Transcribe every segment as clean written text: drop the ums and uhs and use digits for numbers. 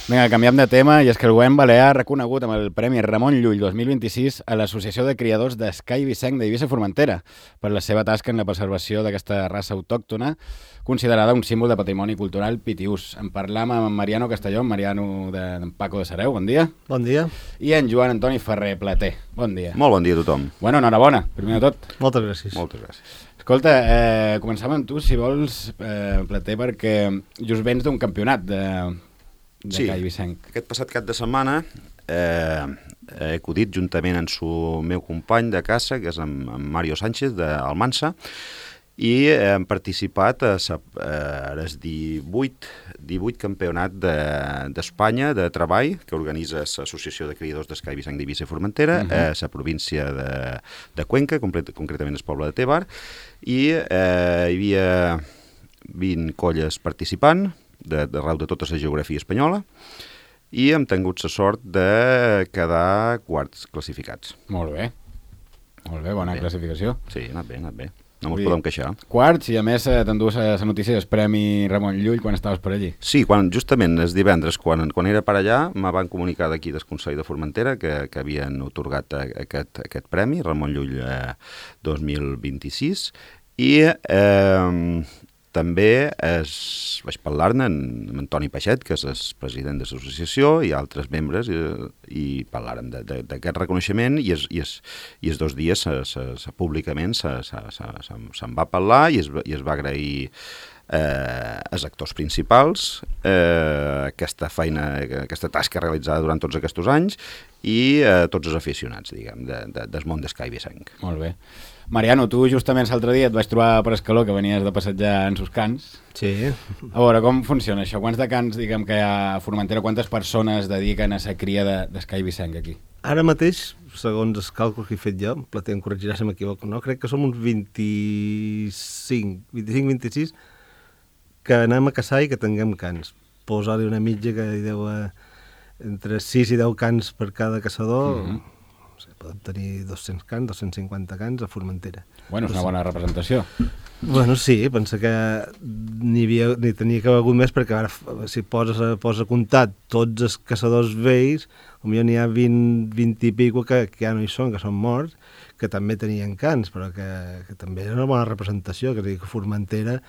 Vinga, canviem de tema, i és que el govern balear ha reconegut amb el Premi Ramon Llull 2026 a l'Associació de Criadors d'Esca i Vicenc d'Eivissa i Formentera per la seva tasca en la preservació d'aquesta raça autòctona, considerada un símbol de patrimoni cultural pitiús. En parlam amb Mariano Castelló, Mariano d'en Paco de Sareu, bon dia. Bon dia. I en Joan Antoni Ferrer Plater, bon dia. Molt bon dia a tothom. Bueno, enhorabona, primer de tot. Moltes gràcies. Moltes gràcies. Escolta, començam amb tu, si vols, Plater, perquè just vens d'un campionat de Ca i Vicenc. Aquest passat cap de setmana he acudit juntament amb el meu company de casa, que és en Mario Sánchez d'Almansa, i hem participat a el 18 campionat d'Espanya de treball que organitza l'Associació de Criadors d'Esca i Vicenc d'Eivissa i Formentera a la província de Cuenca, concretament el poble de Tebar, i hi havia 20 colles participant d'arreu de tota la geografia espanyola, i hem tingut la sort de quedar quarts classificats. Molt bé, bona classificació. Sí, ha anat bé. No ens podem queixar. Quarts, i a més t'endues la notícia del Premi Ramon Llull quan estaves per allí. Sí, justament el divendres, quan era per allà, me van comunicar d'aquí del Consell de Formentera que havien otorgat aquest premi, Ramon Llull 2026, i també vaig parlar-ne amb Antoni Peixet, que és el president de l'associació, i altres membres, i parlàrem d'aquest reconeixement, i els 2 dies públicament se'n va parlar i es va agrair als actors principals aquesta feina, aquesta tasca realitzada durant tots aquests anys, i a tots els aficionats, diguem, del món d'Esca i Vicenc. Molt bé. Mariano, tu justament l'altre dia et vaig trobar per Escaló, que venies de passejar en sus cans. Sí. A veure, com funciona això? Quants de cans, diguem, que hi ha a Formentera, quantes persones dediquen a la cria d'Esca i Vicenc aquí? Ara mateix, segons els càlculs que he fet jo, Plater em corregirà si m'equivoco, no? Crec que som uns 25-26 que anem a caçar i que tinguem cans. Posar-li una mitja que hi deu entre 6 i 10 cans per cada caçador. No sé, podem tenir 200 cans, 250 cans a Formentera. Bueno, és una bona representació. Bueno, sí, pensa que n'hi tenia que haver hagut més, perquè ara si poses a comptar tots els caçadors vells, potser n'hi ha 20 i pico que ja no hi són, que són morts, que també tenien cans, però que també és una bona representació, que és a dir, que Formentera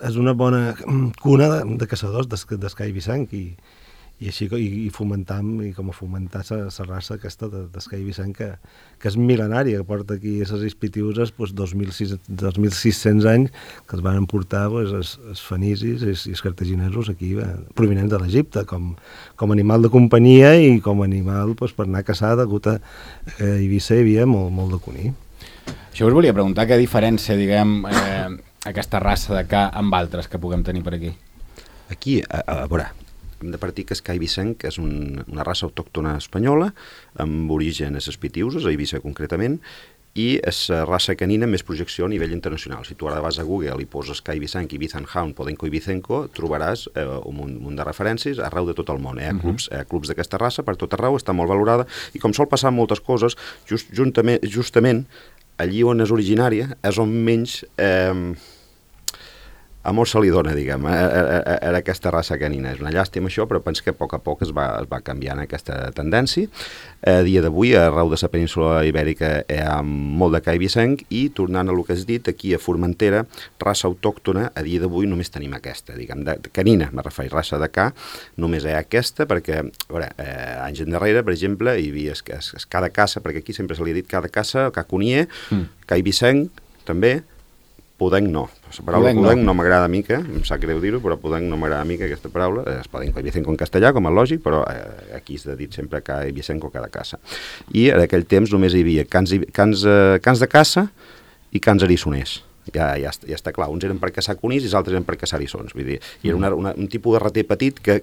és una bona cuna de caçadors d'Esca i Vicenc, i així i fomentam, i com a fomentar la raça aquesta d'Esca i Vicenc, que és mil·lenària, que porta aquí a les Ispitiuses 2.600 anys, que els van portar els fenicis i els cartaginesos aquí, provinents de l'Egipte, com animal de companyia i com animal per anar a caçar, degut a Eivissa hi havia molt de cuní. Això us volia preguntar, què diferència, diguem, aquesta raça de ca amb altres que puguem tenir per aquí? Aquí, a veure, hem de partir que Esca i Vicenc és una raça autòctona espanyola amb origen a les Pitiuses, a Eivissa concretament, i és la raça canina amb més projecció a nivell internacional. Si tu ara vas a Google i poses Esca i Vicenc, Ibiza Hound, Podenco i Vicenco, trobaràs un munt de referències arreu de tot el món. Hi ha clubs d'aquesta raça per tot arreu, està molt valorada, i com sol passar moltes coses, justament allí on és originària és on menys amor se li dona, diguem, a aquesta raça canina. És una llàstima això, però penso que a poc es va canviant aquesta tendència. A dia d'avui, arreu de la península ibèrica hi ha molt de ca i Vicenc, i tornant a el que has dit, aquí a Formentera, raça autòctona, a dia d'avui només tenim aquesta, diguem, canina, me refereixo, raça de ca, només hi ha aquesta, perquè, a veure, anys endarrere, per exemple, hi havia cada caça, perquè aquí sempre se li ha dit cada caça, ca conier, ca i Vicenc, també, Podenc no. La paraula Podenc no m'agrada a mi, em sap greu dir-ho, però Podenc no m'agrada a mi, aquesta paraula. Es Podenc i Vicenco en castellà, com és lògic, però aquí s'ha dit sempre ca i Vicenco cada caça. I en aquell temps només hi havia cans de caça i cans erissoners. Ja està clar, uns eren per caçar conills i els altres eren per caçar erissons. Vull dir, i era un tipus de rater petit que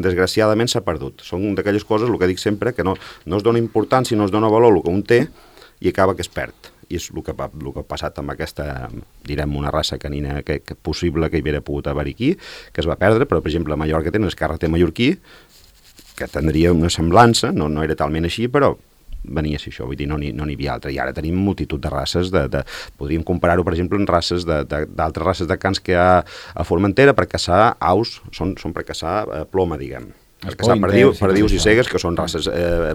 desgraciadament s'ha perdut. Són d'aquelles coses, el que dic sempre, que no es dona importància, no es dona valor el que un té, i acaba que es perd. I és el que ha passat amb aquesta, direm, una raça canina que possible que hi hauria pogut haver aquí, que es va perdre, però per exemple a Mallorca tenen el carreter mallorquí, que tindria una semblança, no era talment així, però venia a ser això, vull dir, no n'hi havia altra. I ara tenim multitud de races, podríem comparar-ho, per exemple, amb races d'altres races de cans que hi ha a Formentera per caçar aus, són per caçar ploma, diguem. caçar perdius i cegues, que són races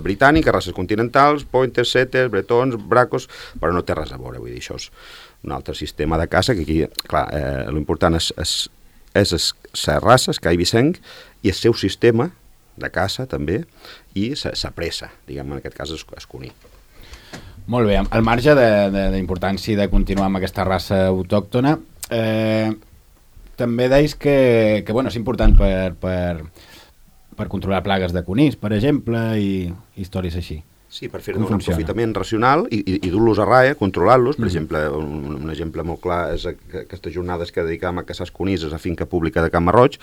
britàniques, races continentals, pointers, setters, bretons, bracos, però no té res a veure, vull dir, això és un altre sistema de caça, que aquí, clar, l'important és la raça, Sky Vicent, i el seu sistema de caça, també, i sa pressa, diguem, en aquest cas, és conir. Molt bé, al marge d'importància de continuar amb aquesta raça autòctona, també deis que bueno, és important per controlar plagues de conills, per exemple, i històries així. Sí, per fer-ne un aprofitament racional i dur-los a raia, controlar-los. Per exemple, un exemple molt clar és aquestes jornades que dedicam a caçar els conills a la finca pública de Can Marroig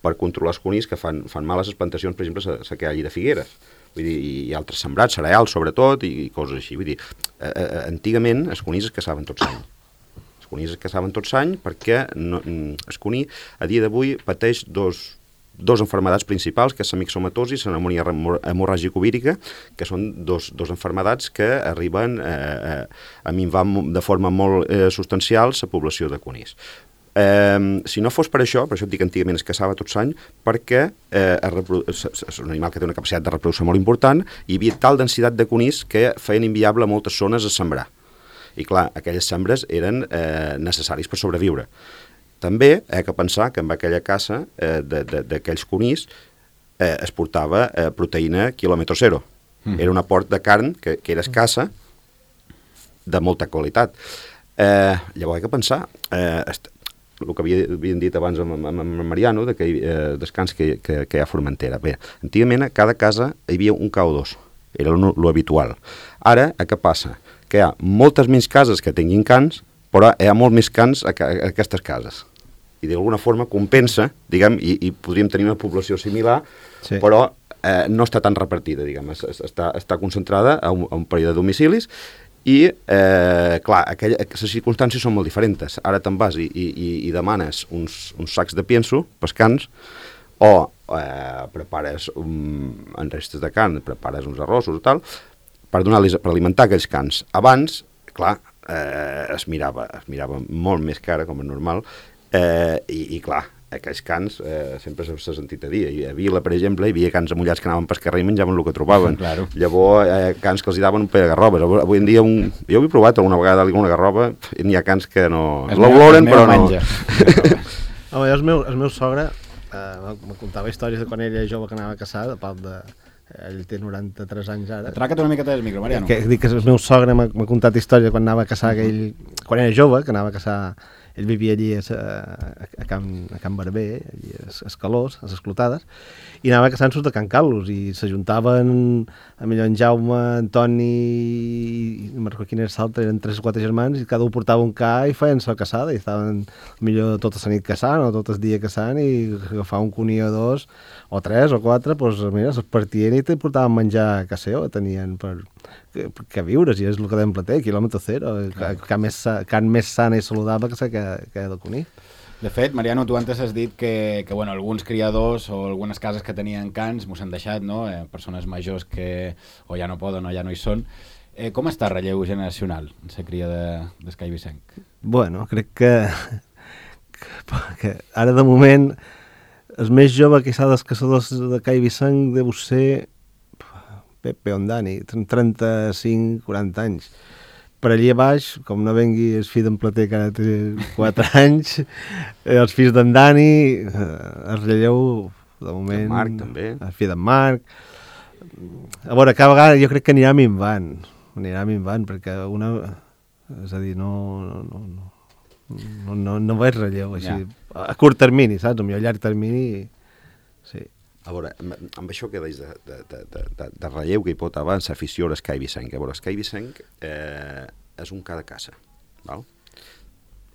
per controlar els conills que fan mal a les plantacions, per exemple, la que hi hagi de figueres. Vull dir, i altres sembrats, cereals sobretot, i coses així. Vull dir, antigament els conills es caçaven tots l'any. Els conills es caçaven tots l'any perquè el conill a dia d'avui pateix dos enfermedats principals, que és la mixomatosi i la pneumònia hemorràgico-vírica, que són dos enfermedats que arriben a minvar de forma molt substancial la població de conills. Si no fos per això et dic que antigament es caçava tot l'any, perquè és un animal que té una capacitat de reproducció molt important, i hi havia tal densitat de conills que feien inviable moltes zones a sembrar. I clar, aquelles sembres eren necessaris per sobreviure. També hi ha que pensar que amb aquella caça d'aquells conills es portava proteïna quilòmetre zero. Era un aport de carn que era escassa, de molta qualitat. Llavors hi ha que pensar, el que havien dit abans amb Mariano, dels cans que hi ha a Formentera. Bé, antigament a cada casa hi havia un ca o dos, era lo habitual. Ara, què passa? Que hi ha moltes menys cases que tinguin cans, però hi ha molt més cans a aquestes cases. I d'alguna forma compensa, diguem, i podríem tenir una població similar, sí, però no està tan repartida, diguem, està concentrada a un període de domicilis, i, clar, les circumstàncies són molt diferents. Ara te'n vas i demanes uns sacs de pienso pels cans, o prepares en restes de carn, prepares uns arrossos o tal, per alimentar aquells cans. Abans, clar, es mirava molt més cara, com és normal, i clar, aquells cans sempre s'ha sentit a dir. A Vila, per exemple, hi havia cans amullats que anaven pel carrer i menjaven el que trobaven. Claro. Llavors, cans que els daven un pe de garrobes. Avui en dia, jo ho he provat alguna vegada alguna garroba, i n'hi ha cans que no l'oloren, però no. Home, el meu sogre me contava històries de quan ell era jove que anava a caçar, de part de... Ell té 93 anys ara. Atraca't una miqueta del micro, Mariano. Dic que el meu sogre m'ha contat història quan anava a caçar, quan era jove, que anava a caçar, ell vivia allí a Can Barber, allí a Escalós, a les Clotades, i anava a caçar-nos de Can Carlos, i s'ajuntaven millor en Jaume, Antoni i no me'n recordo quin era l'altre, eren 3 o 4 germans, i cada un portava un ca i feien la caçada, i estaven millor tota la nit caçant o tot el dia caçant, i agafar un conill o 2 o 3 o 4, doncs mira, es partien i te portaven menjar caseo, tenien per viure, si és el que d'en plater, quilòmetre zero, carn més sana i saludable que del conill. De fet, Mariano, tu antes has dit que bueno, alguns criadors o algunes cases que tenien cans mos han deixat, no? Persones majors que o ja no poden o ja no hi són. Com està el relleu generacional en la cria de Sky Vicent? Bueno, crec que ara de moment el més jove que s'ha dels caçadors de Sky Vicent deu ser Pepe Ondani, 35-40 anys. Per allí a baix, com no vengui el fill d'en Plater, que ara té 4 anys, els fills d'en Dani, el relleu, de moment... El Marc, també. El fill d'en Marc. A veure, cada vegada jo crec que anirà minvant, perquè una... És a dir, no veig relleu, així, a curt termini, saps? A llarg termini, sí. A veure, amb això que deies de relleu que hi pot haver en l'afició a l'Sky Vicent. A veure, l'Sky Vicent és un ca de caça, val?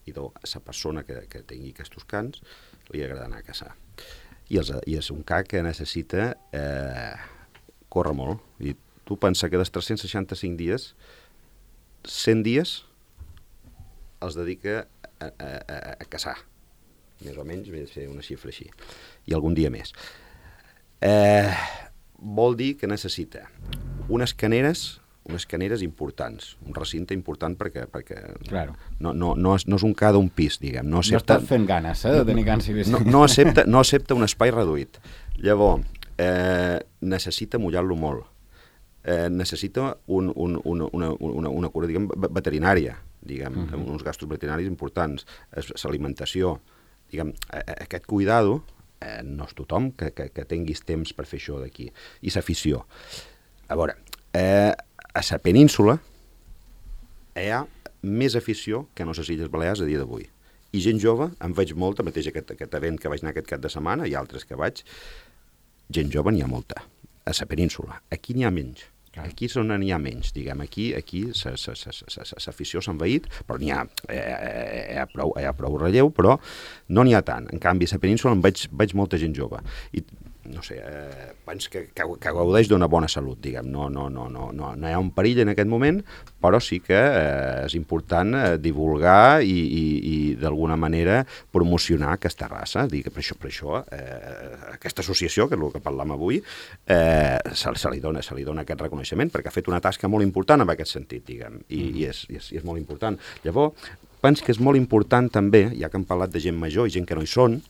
I la persona que tingui aquests cans li agrada anar a caçar. I és un ca que necessita córrer molt. I tu pensa que dels 365 dies, 100 dies els dedica a caçar. Més o menys, ve de ser una xifra així. I algun dia més. Vol dir que necessita unes caneres importants, un recinte important perquè claro. no és un ca d'un pis, diguem. No estàs fent ganes de tenir cans i no accepta un espai reduït. Llavors, necessita mullar-lo molt. Necessita una cura, diguem, veterinària, diguem, uns gastos veterinaris importants, l'alimentació, diguem, aquest cuidado, no és tothom que tinguis temps per fer això d'aquí, i l'afició. A veure, a la península hi ha més afició que no a les Illes Balears a dia d'avui. I gent jove, em veig molta, mateix aquest event que vaig anar aquest cap de setmana, i altres que vaig, gent jove n'hi ha molta, a la península. Aquí n'hi ha menys. Aquí és on n'hi ha menys, diguem. Aquí l'afició s'ha envaït, però n'hi ha prou relleu, però no n'hi ha tant. En canvi, a la península em veig molta gent jove. I, no sé, penso que gaudeix d'una bona salut, diguem. No hi ha un perill en aquest moment, però sí que és important divulgar i d'alguna manera promocionar aquesta raça. Per això aquesta associació, que és el que parlam avui, se li dona aquest reconeixement, perquè ha fet una tasca molt important en aquest sentit, diguem, i és molt important. Llavors, penso que és molt important també, ja que hem parlat de gent major i gent que no hi són,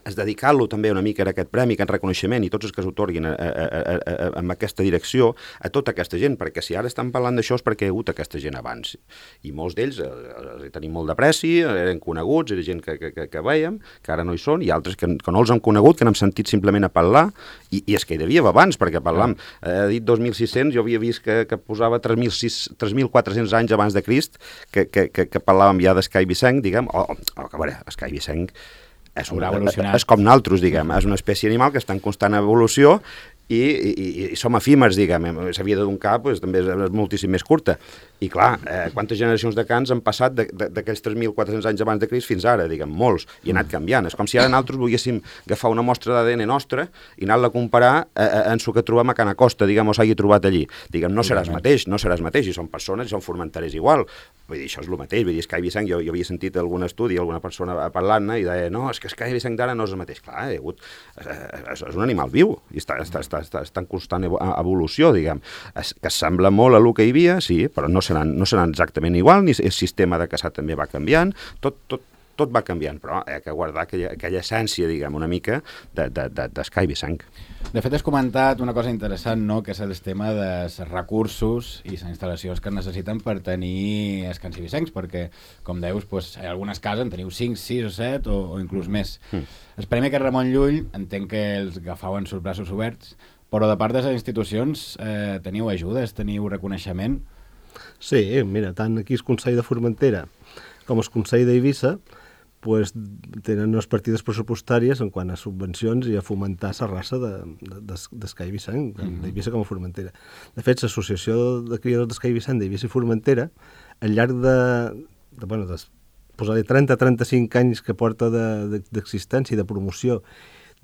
és dedicar-lo també una mica a aquest premi, a aquest reconeixement i tots els que s'otorguin en aquesta direcció a tota aquesta gent, perquè si ara estan parlant d'això és perquè hi ha hagut aquesta gent abans. I molts d'ells els tenim molt d'apreci, eren coneguts, era gent que veiem, que ara no hi són, i altres que no els hem conegut, que n'hem sentit simplement a parlar, i és que hi devia abans, perquè parlam, he dit 2.600, jo havia vist que posava 3.400 anys abans de Crist, que parlàvem ja d'Escai Vicenc, diguem, a veure, Escai Vicenc és com naltros, diguem, és una espècie animal que està en constant evolució i som efímers, diguem, la vida d'un cap també és moltíssim més curta. I clar, quantes generacions de cans han passat d'aquells 3.400 anys abans de Crist fins ara, diguem, molts, i ha anat canviant. És com si ara nosaltres volguéssim agafar una mostra d'ADN nostra i anar-la a comparar amb el que trobem a Can Acosta, diguem, o s'hagi trobat allí. Diguem, no seràs mateix, i són persones i són formenteres igual. Vull dir, això és el mateix, vull dir, Escai Vicenc, jo havia sentit algun estudi, alguna persona parlant-ne, i deia, no, és que Escai Vicenc d'ara no és el mateix. Clar, és un animal viu, i està en constant evolució, diguem. Que sembla molt a el que hi havia, sí, però no seran exactament igual, ni el sistema de caçar també va canviant, tot va canviant, però hi ha que guardar aquella essència, diguem, una mica d'Escai Vicenc. De fet, has comentat una cosa interessant, no?, que és el tema dels recursos i les instal·lacions que es necessiten per tenir escans i vicencs, perquè, com deus, hi ha algunes cases en teniu 5, 6 o 7 o inclús més. El Premi aquest Ramon Llull, entenc que els agafau en els braços oberts, però de part de les institucions teniu ajudes, teniu reconeixement? Sí, mira, tant aquí el Consell de Formentera com el Consell d'Eivissa tenen unes partides pressupostàries en quant a subvencions i a fomentar la raça d'Escai Vicenc, d'Eivissa com a Formentera. De fet, l'Associació de Criadors d'Escai Vicenc d'Eivissa i Formentera, al llarg de posar-li 30-35 anys que porta d'existència i de promoció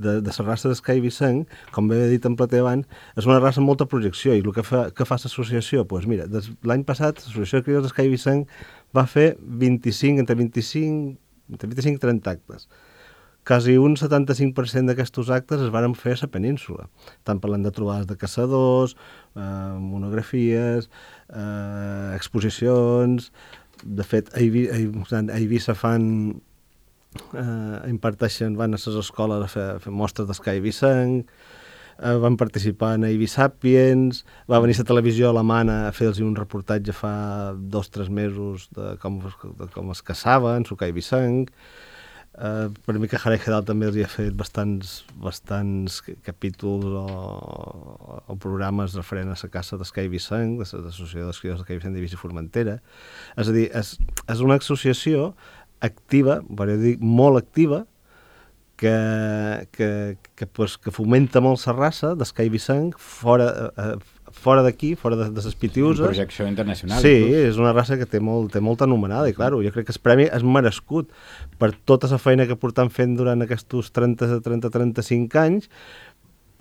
de la raça d'Escai Vicenc, com bé he dit en plater abans, és una raça amb molta projecció, i el que fa l'associació, doncs mira, l'any passat l'Associació de Criadors d'Escai Vicenc va fer entre 25 i 30 actes. Quasi un 75% d'aquests actes es van fer a la península. Estan parlant de trobades de caçadors, monografies, exposicions. De fet, a Eivissa van a les escoles a fer mostres d'Escai Vicenc, van participar en Eivissapiens, va venir la televisió alemana a fer-los un reportatge fa 2 o 3 mesos de com es caçaven, Escai Vicenc. Per mi que Harry Hedal també els hi ha fet bastants capítols o programes referent a la caça d'Escai Vicenc, de l'Associació dels Criadors d'Escai Vicenc d'Eivissa i Formentera. És a dir, és una associació activa, podria dir molt activa, que fomenta molt la raça d'Escai Vicenc fora d'aquí, fora de les Pitiuses. Una projecció internacional. Sí, és una raça que té molta anomenada, i clar, jo crec que el premi és merescut per tota la feina que portem fent durant aquests 30-35 anys,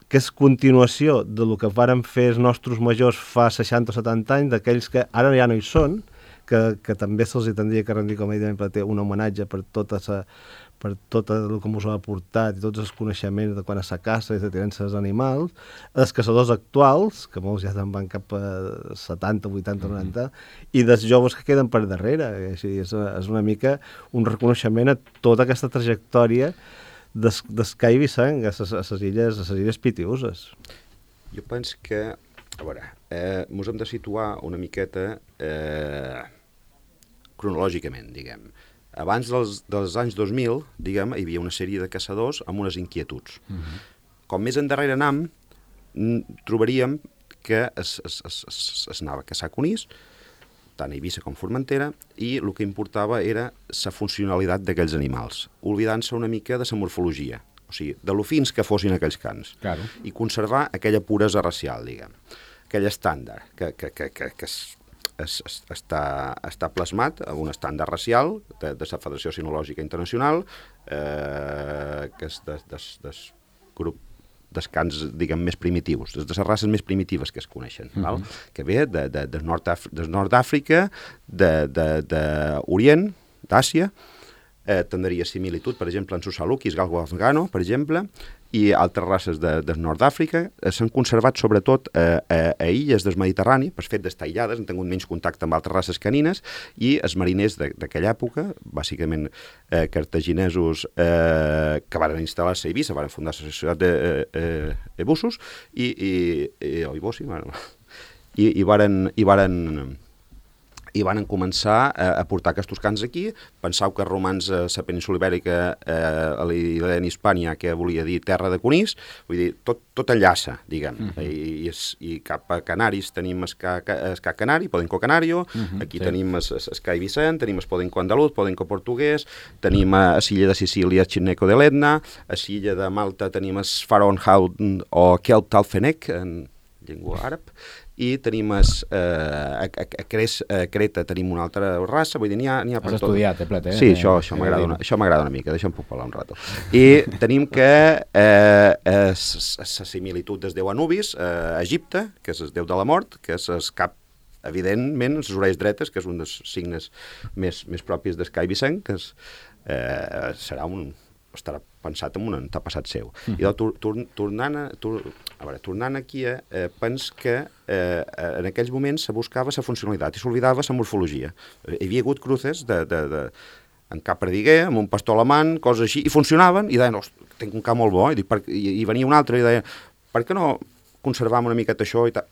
que és continuació del que varen fer els nostres majors fa 60 o 70 anys, d'aquells que ara ja no hi són, que també se'ls tindria que rendir, com he dit, un homenatge per tot el que ens ha aportat i tots els coneixements de quan a la caça i de tinença dels animals, els caçadors actuals, que molts ja van cap a 70, 80, 90, i dels joves que queden per darrere. Així, és una mica un reconeixement a tota aquesta trajectòria d'Escai Vicent a les illes Pitiuses? Jo penso que, a veure, mos hem de situar una miqueta cronològicament, diguem. Abans dels anys 2000, diguem, hi havia una sèrie de caçadors amb unes inquietuds. Com més endarrere anam, trobaríem que es anava a caçar conills, tant a Eivissa com Formentera, i el que importava era la funcionalitat d'aquells animals, oblidant-se una mica de la morfologia, o sigui, de lo fins que fossin aquells cans, Claro. i conservar aquella puresa racial, diguem, aquell estàndard que està plasmat en un estàndard racial de la Federació Sinològica Internacional, que és del grup dels cans, diguem, més primitius, de les races més primitives que es coneixen, val? Que ve del nord d'Àfrica, d'Orient, d'Àsia, tindria similitud, per exemple, en Susalukis, galgo afgano, per exemple, i altres races del nord d'Àfrica. S'han conservat sobretot a illes del Mediterrani, per fet d'estar aïllades, han tingut menys contacte amb altres races canines, i els mariners d'aquella època, bàsicament cartaginesos que van instal·lar-se a Eivissa, van fundar la societat d'Ebussos, i varen començar a portar aquests cans aquí. Pensau que els romans a la península Ibèrica, a l'illa d'Hispània, que volia dir terra de conills, vull dir, tot enllaça, diguem. I cap a Canaris tenim escà canari, podenco canario, aquí tenim escà Vicent, tenim el podenco andaluz, podenco portuguès, tenim a l'illa de Sicília chineco de l'Etna, a l'illa de Malta tenim el Faronhound o Kelp Talfenec, en llengua àrab, i tenim a Creta tenim una altra raça, vull dir, n'hi ha per tot. Has estudiat, Plet, eh? Sí, això m'agrada una mica, deixa'm puc parlar un rato. I tenim que la similitud del déu Anubis, a Egipte, que és el déu de la mort, que és el cap, evidentment, les orelles dretes, que és un dels signes més propis d'Escai Vicent, que estarà pensat en un antepassat seu. I tornant aquí, pens que en aquells moments se buscava la funcionalitat i s'oblidava la morfologia. Hi havia hagut cruces en cap perdiguer, amb un pastor alemany, coses així, i funcionaven, i deien, tinc un cap molt bo, i venia un altre i deia, per què no conservam una miqueta això i tal?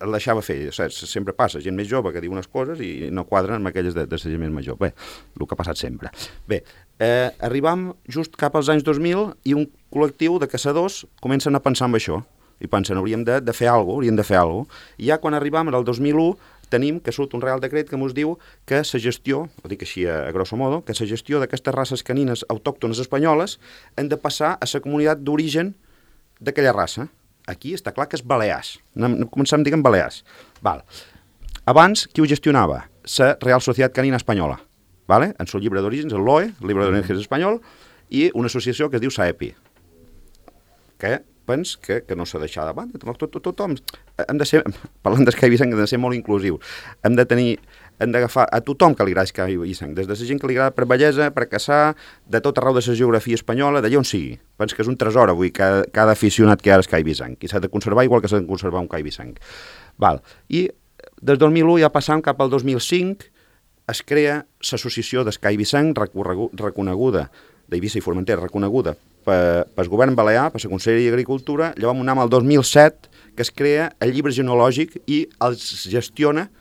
El deixava fer, saps? Sempre passa, gent més jove que diu unes coses i no quadren amb aquelles de la gent més major. Bé, el que ha passat sempre. Bé, arribam just cap als anys 2000 i un col·lectiu de caçadors comencen a pensar en això i pensen, hauríem de fer alguna cosa, i ja quan arribam al 2001 tenim que surt un Real Decret que ens diu que la gestió, ho dic així a grosso modo, que la gestió d'aquestes races canines autòctones espanyoles han de passar a la comunitat d'origen d'aquella raça. Aquí està clar que és Balears. Començam dient Balears. Val. Abans, qui ho gestionava? La Real Societat Canina Espanyola. Vale? En el llibre d'orígens, el LOE, el llibre d'orígens espanyol, i una associació que es diu SAEPI, que pens que no s'ha deixat de banda. Tothom hem de ser, parlant d'Escai Vicent, hem de ser molt inclusius. Hem d'agafar a tothom que li agrada Escai Vicent, des de la gent que li agrada per bellesa, per caçar, de tot arreu de la geografia espanyola, d'allà on sigui. Pens que és un tresor avui cada aficionat que hi ha a Escai Vicent, i s'ha de conservar igual que s'ha de conservar un Escai Vicent. Val. I des del 2001 ja passam cap al 2005, es crea l'associació d'Escai Vicent, reconeguda, d'Eivissa i Formentera, reconeguda pel govern balear, per la Conselleria d'Agricultura. Llavors anem al 2007, que es crea el llibre genealògic i els gestiona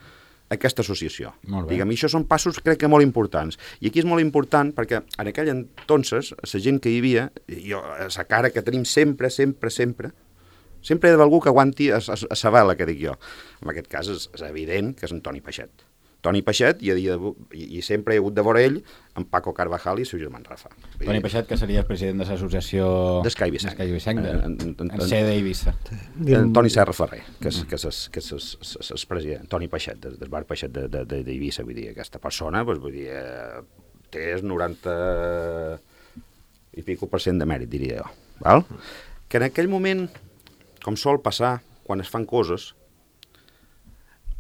aquesta associació. Diguem, i això són passos, crec que molt importants. I aquí és molt important perquè en aquell entonces, la gent que hi havia, la cara que tenim sempre hi ha d'haver algú que aguanti a la vela, que dic jo. En aquest cas és evident que és en Toni Peixet. Toni Peixet, i sempre he hagut de veure ell, en Paco Carvajal i el seu germà Rafa. Toni Peixet, que seria el president de l'associació d'Escai Vicent, en sede d'Eivissa. Toni Serra Ferrer, que és el president, Toni Peixet, del bar Peixet d'Eivissa, vull dir, aquesta persona, vull dir, té el 90 i pico % de mèrit, diria jo. Val? Que en aquell moment, com sol passar, quan es fan coses,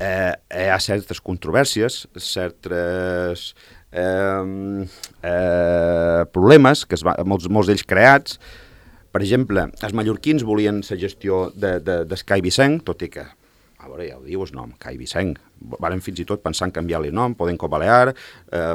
hi ha certes controvèrsies, certs problemes, que molts d'ells creats. Per exemple, els mallorquins volien la gestió d'Escai Vicent, tot i que a veure, ja ho diu el nom, Cai Vicent. Varen fins i tot pensar en canviar-li el nom, Podenco Balear,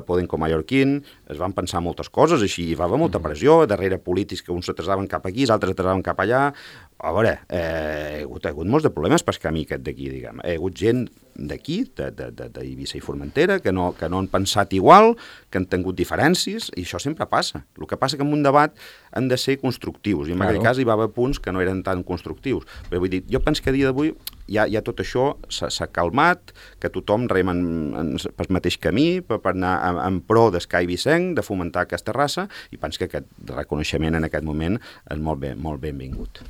Podenco Mallorquín, es van pensar moltes coses, així hi va haver molta pressió, darrere polítics que uns s'atrasaven cap aquí, els altres s'atrasaven cap allà. A veure, hi ha hagut molts de problemes pel camí aquest d'aquí, diguem. Hi ha hagut gent d'aquí, d'Eivissa i Formentera, que no han pensat igual, que han tingut diferències, i això sempre passa. El que passa que en un debat han de ser constructius, i en aquell cas hi va haver punts que no eren tan constructius. Però vull dir, jo penso que a dia d'avui ja tot això s'ha calmat, que tothom rema pel mateix camí per anar en pro d'Escai Vicent, de fomentar aquesta raça, i penso que aquest reconeixement en aquest moment és molt benvingut.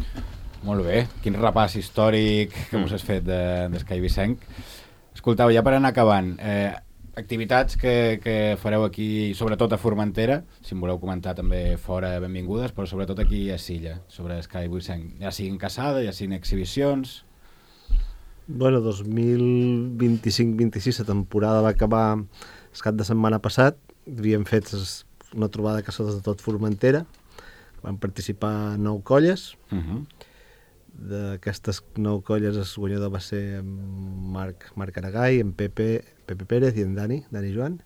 Molt bé, quin repàs històric que us has fet d'Escai Vicent. Escoltau, ja per anar acabant, activitats que fareu aquí, sobretot a Formentera, si em voleu comentar també fora, benvingudes, però sobretot aquí a Silla, sobre Escai Vicent, ja siguin caçada, ja siguin exhibicions. Bueno, 2025-26 la temporada va acabar el cap de setmana passat. Havíem fet una trobada de caçadors de tot Formentera. Van participar 9 colles. D'aquestes 9 colles el guanyador va ser en Marc Aragai, en Pepe Pérez i en Dani Joan.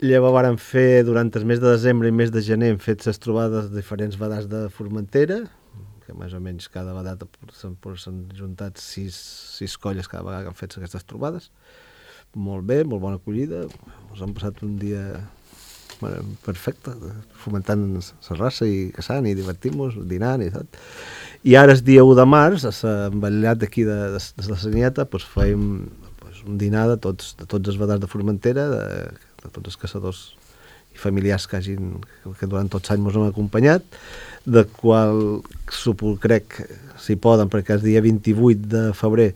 Llavors varen fer, durant el mes de desembre i mes de gener, hem fet les trobades de diferents vedats de Formentera, que més o menys cada vegada s'han juntat 6 colles cada vegada que han fet aquestes trobades. Molt bé, molt bona acollida. Ens hem passat un dia perfecte, fomentant la raça i caçant i divertint-nos, dinant i tot. I ara, el dia 1 de març, a l'envetllat d'aquí de la Sanieta, fèiem un dinar de tots els vedats de Formentera, de tots els caçadors i familiars que durant tots els anys ens han acompanyat, de qual crec, si poden, perquè el dia 28 de febrer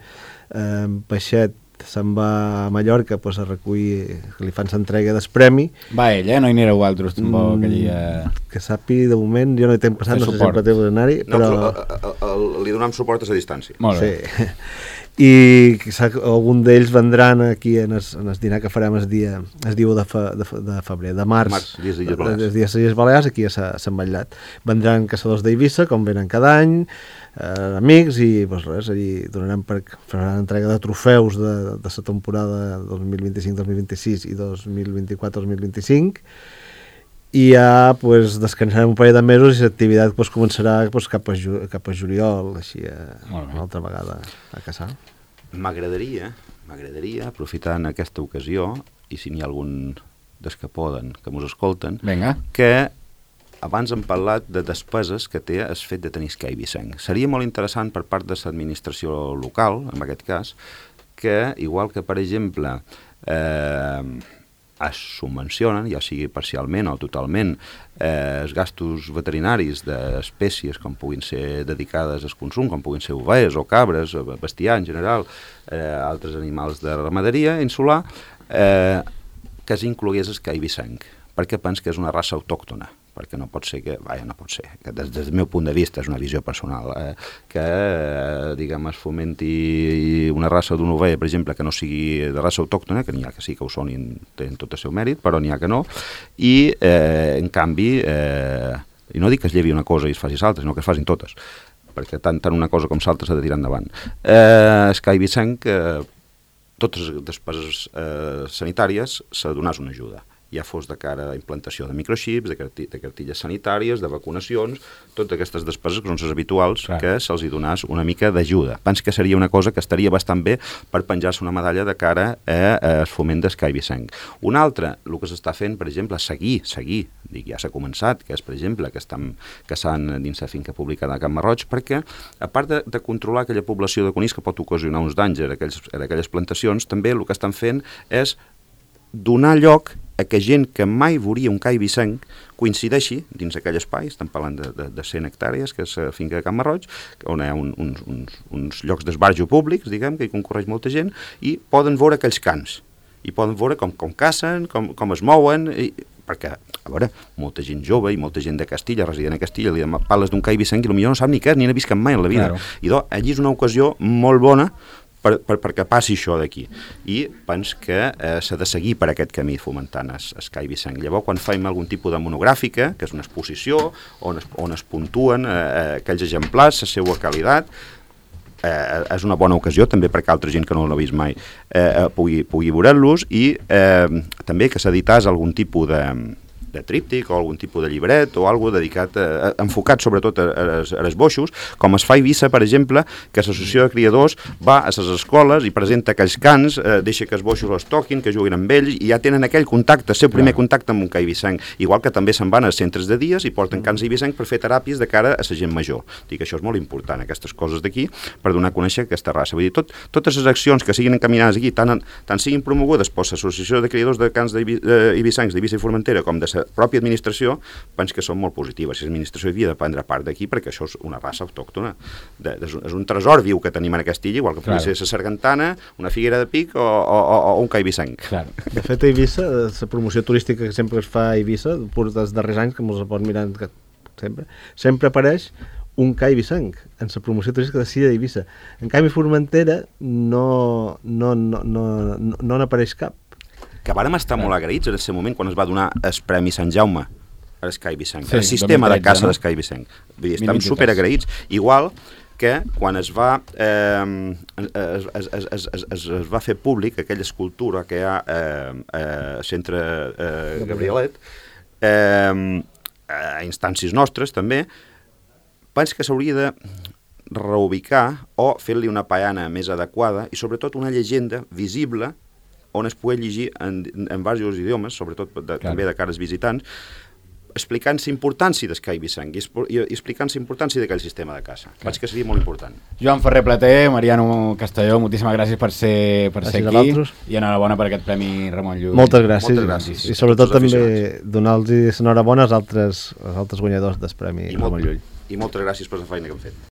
Peixet se'n va a Mallorca a recollir, que li fan l'entrega del premi. Va ell, no hi anireu altres tampoc aquell... Que sàpiga, de moment, jo no hi tenc passat, no sé si sempre té d'anar-hi, però... Li donem suport a la distància. Molt bé. Sí. I algun d'ells vendran aquí en el dinar que farem el dia 1 de febrer, de març, dies d'Illes Balears. Els dies d'Illes Balears, aquí a Sant Batllat. Vendran caçadors d'Eivissa, com venen cada any, amics, i res, allí faran entrega de trofeus de la temporada 2025-2026 i 2024-2025, i ja descansarem un parell de mesos i l'activitat començarà cap a juliol, així una altra vegada a caçar. M'agradaria, aprofitant aquesta ocasió, i si n'hi ha algun dels que poden, que mos escolten, que abans hem parlat de despeses que té el fet de tenir Escai Vicent. Seria molt interessant per part de l'administració local, en aquest cas, que, igual que, per exemple, es subvencionen, ja sigui parcialment o totalment, els gastos veterinaris d'espècies com puguin ser dedicades al consum, com puguin ser ovelles o cabres, bestiar en general, altres animals de ramaderia insular, que s'inclogués Escai Vicent, perquè penso que és una raça autòctona, perquè no pot ser que des del meu punt de vista, és una visió personal, que es fomenti una raça d'una ovella, per exemple, que no sigui de raça autòctona, que n'hi ha que sí que ho són i tenen tot el seu mèrit, però n'hi ha que no, i en canvi, i no dic que es llevi una cosa i es faci l'altra, sinó que es facin totes, perquè tant una cosa com l'altra s'ha de tirar endavant. Escai Vicent, totes les despeses sanitàries s'ha de donar una ajuda, ja fos de cara a implantació de microxips, de cartilles sanitàries, de vacunacions, totes aquestes despeses que són les habituals, que se'ls hi donàs una mica d'ajuda. Penso que seria una cosa que estaria bastant bé per penjar-se una medalla de cara al foment d'Escai Vicent. Una altra, el que s'està fent, per exemple, seguir, ja s'ha començat, que és, per exemple, que estan caçant dins la finca pública de Can Marroig, perquè, a part de controlar aquella població de conills que pot ocasionar uns danys en aquelles plantacions, també el que estan fent és donar lloc a que gent que mai veuria un Cai Vicent coincideixi dins aquell espai, estem parlant de 100 hectàrees, que és la finca de Can Marroig, on hi ha uns llocs d'esbarjo públics, diguem, que hi concorreix molta gent, i poden veure aquells cans, i poden veure com cacen, com es mouen, perquè, a veure, molta gent jove i molta gent de Castilla, resident a Castilla, li parles d'un Cai Vicent i potser no sap ni què, ni n'ha vist cap mai en la vida. I allí és una ocasió molt bona perquè passi això d'aquí. I penso que s'ha de seguir per aquest camí fomentant Escai Vicent. Llavors, quan fem algun tipus de monogràfica, que és una exposició on es puntuen aquells exemplars, la seva qualitat, és una bona ocasió també perquè altra gent que no l'ha vist mai pugui veure-los, i també que s'edités algun tipus de tríptic o algun tipus de llibret o algo dedicat, enfocat sobretot als boixos, com es fa a Eivissa, per exemple, que l'associació de criadors va a les escoles i presenta aquells cants, deixa que els boixos els toquin, que juguin amb ells, i ja tenen aquell contacte, el seu primer contacte amb un ca eivissenc, igual que també se'n van als centres de dies i porten cants eivissencs per fer teràpies de cara a la gent major. Dic que això és molt important, aquestes coses d'aquí, per donar a conèixer aquesta raça. Vull dir, totes les accions que siguin encaminades aquí, tant siguin promogudes per l'associació de criadors de cants eivissencs d'Eivissa i Formentera com de la pròpia administració, penso que són molt positives. Si l'administració havia de prendre part d'aquí, perquè això és una raça autòctona, és un tresor viu que tenim en aquesta illa, igual que pugui ser la sargantana, una figuera de pic o un ca eivissenc. De fet, a Eivissa, la promoció turística que sempre es fa a Eivissa, dels darrers anys, que ens pot mirar sempre apareix un ca eivissenc en la promoció turística de Silla d'Eivissa. En canvi, Formentera no n'apareix cap. Que vàrem estar molt agraïts en aquest moment quan es va donar el Premi Sant Jaume a l'Esca eivissenc, el sistema de caça d'Esca eivissenc. Vull dir, estem superagraïts. Igual que quan es va fer públic aquella escultura que hi ha al centre Gabrielet, a instàncies nostres també, penso que s'hauria de reubicar o fer-li una paiana més adequada i sobretot una llegenda visible on es pugui llegir en diversos idiomes, sobretot també de cara als visitants, explicant la importància del ca eivissenc i explicant la importància d'aquell sistema de caça. Penso que seria molt important. Joan Ferrer Plater, Mariano Castelló, moltíssimes gràcies per ser aquí i enhorabona per aquest Premi Ramon Llull. Moltes gràcies. I sobretot també donar-los l'enhorabona als altres guanyadors del Premi Ramon Llull. I moltes gràcies per la feina que hem fet.